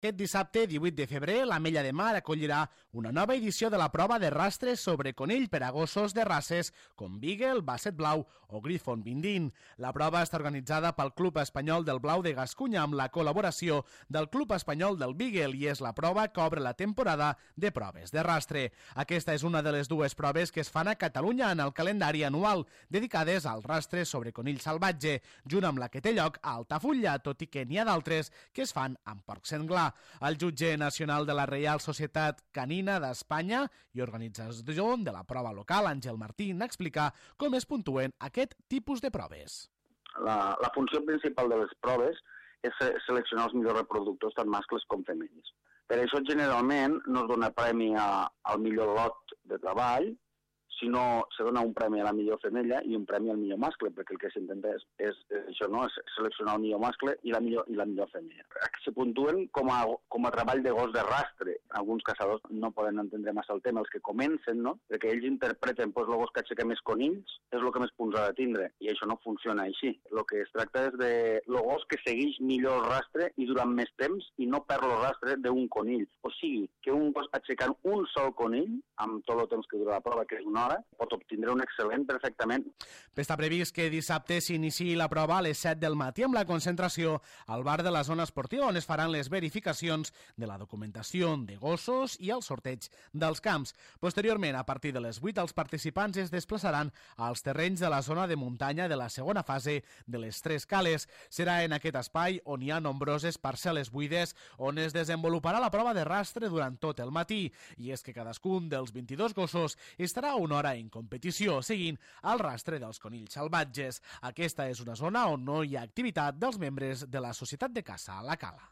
Aquest dissabte, 18 de febrer, l'Ametlla de Mar acollirà una nova edició de la prova de rastres sobre conill per a gossos de races com Beagle, Basset Blau o Griffon Bindin. La prova està organitzada pel Club Espanyol del Blau de Gascunya amb la col·laboració del Club Espanyol del Beagle i és la prova que obre la temporada de proves de rastre. Aquesta és una de les dues proves que es fan a Catalunya en el calendari anual, dedicades al rastre sobre conill salvatge, junt amb la que té lloc a Altafulla, tot i que n'hi ha d'altres que es fan amb porc senglar. El jutge nacional de la Reial Societat Canina d'Espanya i organitzador de la prova local, Àngel Martín, explica com es puntuen aquest tipus de proves. La funció principal de les proves és seleccionar els millors reproductors, tant mascles com femelles. Per això, generalment, no es dona premi al millor lot de treball, sinó se dona un premi a la millor femella i un premi al millor mascle, perquè el que s'intenta és això, no? És seleccionar el millor mascle i la millor femella. Se puntuen com a treball de gos de rastre. Alguns caçadors no poden entendre massa el tema, els que comencen, no? Perquè ells interpreten el gos que aixeca més conills és el que més punts ha de tindre, i això no funciona així. El que es tracta és de el gos que segueix millor el rastre i durant més temps i no perd el rastre d'un conill. O sigui, que un gos aixecant un sol conill, amb tot el temps que dura la prova, que és una hora, pot obtindre un excel·lent perfectament. Està previst que dissabte s'iniciï la prova a les 7 del matí amb la concentració al bar de la zona esportiva on es faran les verificacions de la documentació de gossos i el sorteig dels camps. Posteriorment, a partir de les 8, els participants es desplaçaran als terrenys de la zona de muntanya de la segona fase de les Tres Cales. Serà en aquest espai on hi ha nombroses parcel·les buides on es desenvoluparà la prova de rastre durant tot el matí. I és que cadascun dels 22 gossos estarà una hora en competició, seguint el rastre dels conills salvatges. Aquesta és una zona on no hi ha activitat dels membres de la Societat de Caça a la Cala.